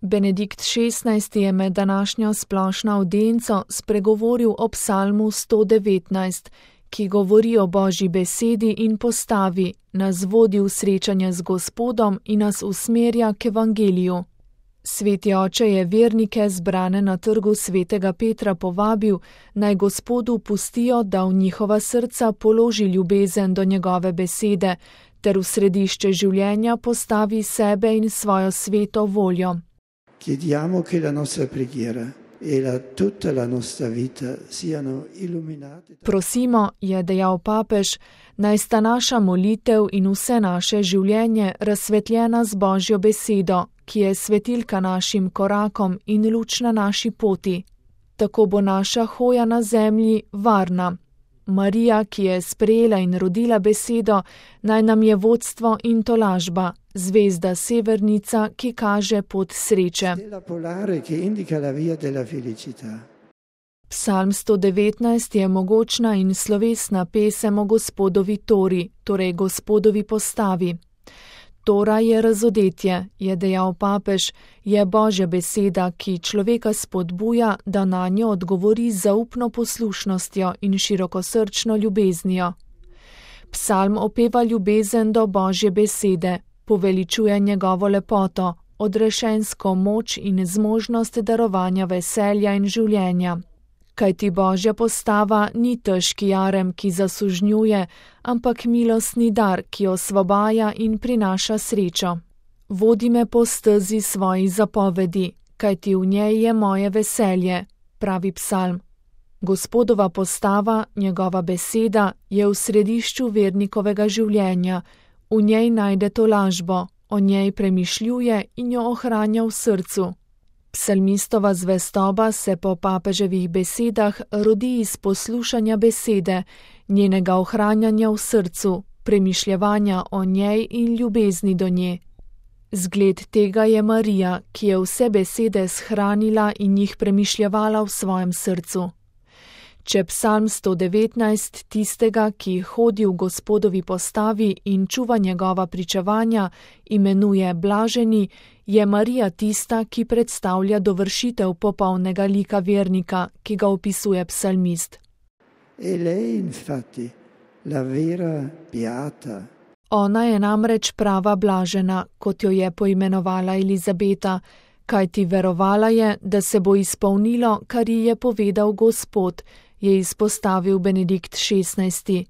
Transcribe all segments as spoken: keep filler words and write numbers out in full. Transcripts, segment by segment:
Benedikt šestnajsti je med današnjo splošno avdienco spregovoril o psalmu sto devetnajst, ki govori o Božji besedi in postavi, nas vodi v srečanje z Gospodom in nas usmerja k evangeliju. Sveti oče je vernike zbrane na trgu svetega Petra povabil, naj Gospodu pustijo, da v njihova srca položi ljubezen do njegove besede, ter v središče življenja postavi sebe in svojo sveto voljo. Chiediamo che la nostra preghiera e la, tutta la nostra vita siano illuminate. Prosimo, je dejal papež, naj sta naša molitev in vse naše življenje razsvetljena z Božjo besedo, ki je svetilka našim korakom in luč na naši poti. Tako bo naša hoja na zemlji varna. Marija, ki je sprejela in rodila besedo, naj nam je vodstvo in tolažba, zvezda severnica, ki kaže pot sreče. Psalm sto devetnajst je mogočna in slovesna pesem o Gospodovi tori, torej Gospodovi postavi. Tora je razodetje, je dejal papež, je Božja beseda, ki človeka spodbuja, da na njo odgovori z zaupno poslušnostjo in širokosrčno ljubeznijo. Psalm opeva ljubezen do Božje besede, poveličuje njegovo lepoto, odrešensko moč in zmožnost darovanja veselja in življenja. Kajti Božja postava ni težki jarem, ki zasužnjuje, ampak milostni dar, ki osvobaja in prinaša srečo. Vodi me po stezi svojih zapovedi, kajti v njej je moje veselje, pravi psalm. Gospodova postava, njegova beseda, je v središču vernikovega življenja, v njej najde tolažbo, o njej premišljuje in jo ohranja v srcu. Psalmistova zvestoba se po papeževih besedah rodi iz poslušanja besede, njenega ohranjanja v srcu, premišljevanja o njej in ljubezni do nje. Zgled tega je Marija, ki je vse besede shranila in jih premišljevala v svojem srcu. Če psalm sto devetnajst tistega, ki hodi v Gospodovi postavi in čuva njegova pričevanja, imenuje blaženi, je Marija tista, ki predstavlja dovršitev popolnega lika vernika, ki ga opisuje psalmist. E lei infatti, la vera beata. Ona je namreč prava blažena, kot jo je poimenovala Elizabeta, kajti verovala je, da se bo izpolnilo, kar ji je povedal Gospod, je izpostavil Benedikt šestnajsti.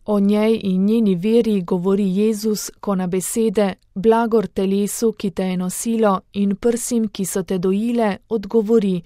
O njej in njeni veri govori Jezus, ko na besede, blagor telesu, ki te je nosilo, in prsim, ki so te dojile, odgovori,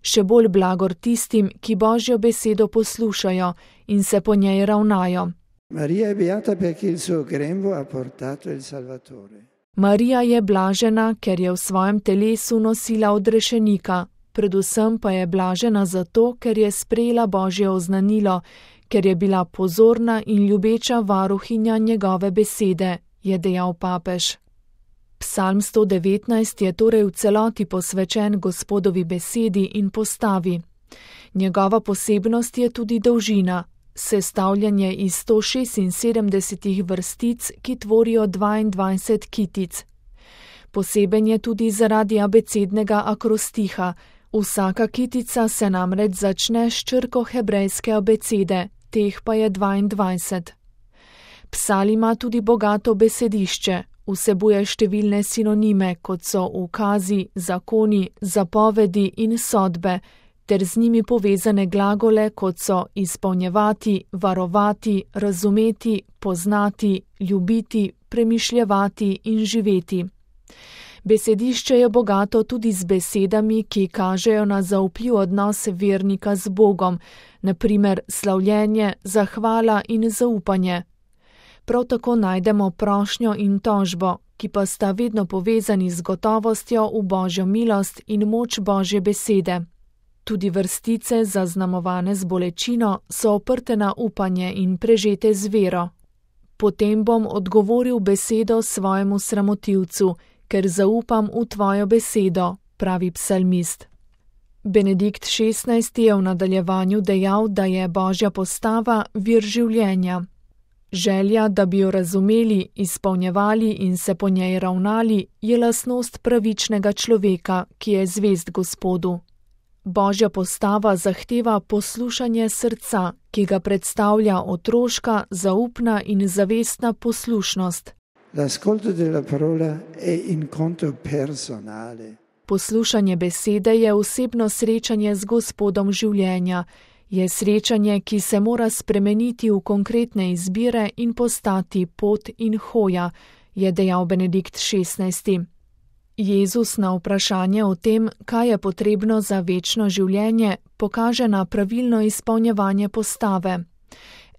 še bolj blagor tistim, ki Božjo besedo poslušajo in se po njej ravnajo. Marija je beata perché il suo grembo ha portato il Salvatore. Marija je blažena, ker je v svojem telesu nosila odrešenika, predvsem pa je blažena zato, ker je sprejela Božje oznanilo, ker je bila pozorna in ljubeča varuhinja njegove besede, je dejal papež. Psalm sto devetnajst je torej v celoti posvečen Gospodovi besedi in postavi. Njegova posebnost je tudi dolžina, sestavljanje iz sto šestinsedemdesetih vrstic, ki tvorijo dvaindvajset kitic. Poseben je tudi zaradi abecednega akrostiha. Vsaka kitica se namreč začne s črko hebrejske abecede, teh pa je dvaindvajset. Psalm ima tudi bogato besedišče, vsebuje številne sinonime, kot so ukazi, zakoni, zapovedi in sodbe, ter z njimi povezane glagole, kot so izpolnjevati, varovati, razumeti, poznati, ljubiti, premišljevati in živeti. Besedišče je bogato tudi z besedami, ki kažejo na zaupljiv odnos vernika z Bogom, na primer slavljenje, zahvala in zaupanje. Prav tako najdemo prošnjo in tožbo, ki pa sta vedno povezani z gotovostjo v Božjo milost in moč Božje besede. Tudi vrstice, zaznamovane z bolečino, so oprte na upanje in prežete z vero. Potem bom odgovoril besedo svojemu sramotilcu, ker zaupam v tvojo besedo, pravi psalmist. Benedikt šestnajsti je v nadaljevanju dejal, da je Božja postava vir življenja. Želja, da bi jo razumeli, izpolnjevali in se po njej ravnali, je lastnost pravičnega človeka, ki je zvest Gospodu. Božja postava zahteva poslušanje srca, ki ga predstavlja otroška, zaupna in zavestna poslušnost. L'ascolto della parola è incontro personale. Poslušanje besede je osebno srečanje z Gospodom življenja, je srečanje, ki se mora spremeniti v konkretne izbire in postati pot in hoja, je dejal Benedikt šestnajsti. Jezus na vprašanje o tem, kaj je potrebno za večno življenje, pokaže na pravilno izpolnjevanje postave.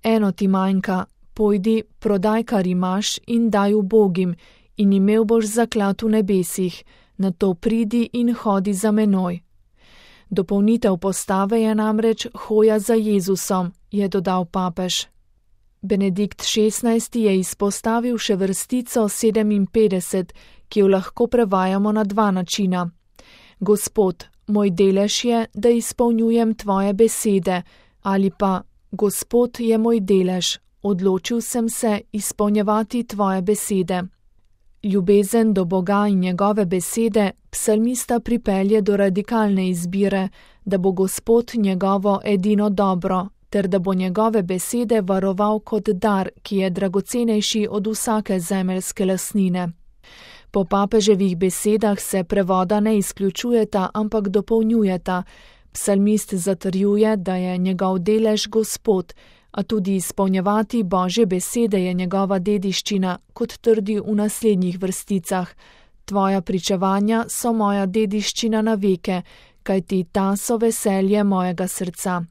Eno ti manjka, pojdi, prodaj, kar imaš in daj ubogim, in imel boš zaklad v nebesih, nato pridi in hodi za menoj. Dopolnitev postave je namreč hoja za Jezusom, je dodal papež. Benedikt šestnajsti je izpostavil še vrstico sedeminpetdeset, ki jo lahko prevajamo na dva načina. Gospod, moj delež je, da izpolnjujem tvoje besede, ali pa Gospod je moj delež, odločil sem se izpolnjevati tvoje besede. Ljubezen do Boga in njegove besede psalmista pripelje do radikalne izbire, da bo Gospod njegovo edino dobro, ter da bo njegove besede varoval kot dar, ki je dragocenejši od vsake zemeljske lastnine. Po papeževih besedah se prevoda ne izključujeta, ampak dopolnjujeta. Psalmist zatrjuje, da je njegov delež Gospod, a tudi izpolnjevati Božje besede je njegova dediščina, kot trdi v naslednjih vrsticah. Tvoja pričevanja so moja dediščina na veke, kajti ta so veselje mojega srca.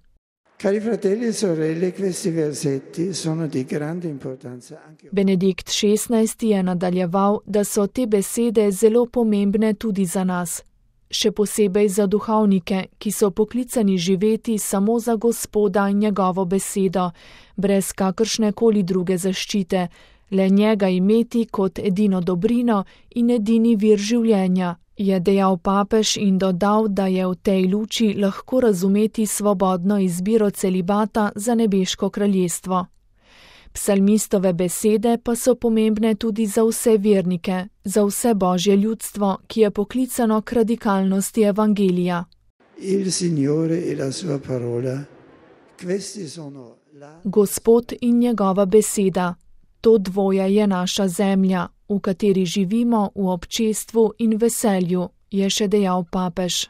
Cari fratelli e sorelle, questi versetti sono di grande importanza anche. Benedikt šestnajsti je nadaljeval, da so te besede zelo pomembne tudi za nas. Še posebej za duhovnike, ki so poklicani živeti samo za Gospoda in njegovo besedo, brez kakršne koli druge zaščite, le njega imeti kot edino dobrino in edini vir življenja, je dejal papež in dodal, da je v tej luči lahko razumeti svobodno izbiro celibata za nebeško kraljestvo. Psalmistove besede pa so pomembne tudi za vse vernike, za vse Božje ljudstvo, ki je poklicano k radikalnosti evangelija. Il Signore e la sua parola, questi sono la... Gospod in njegova beseda, to dvoje je naša zemlja, v kateri živimo v občestvu in veselju, je še dejal papež.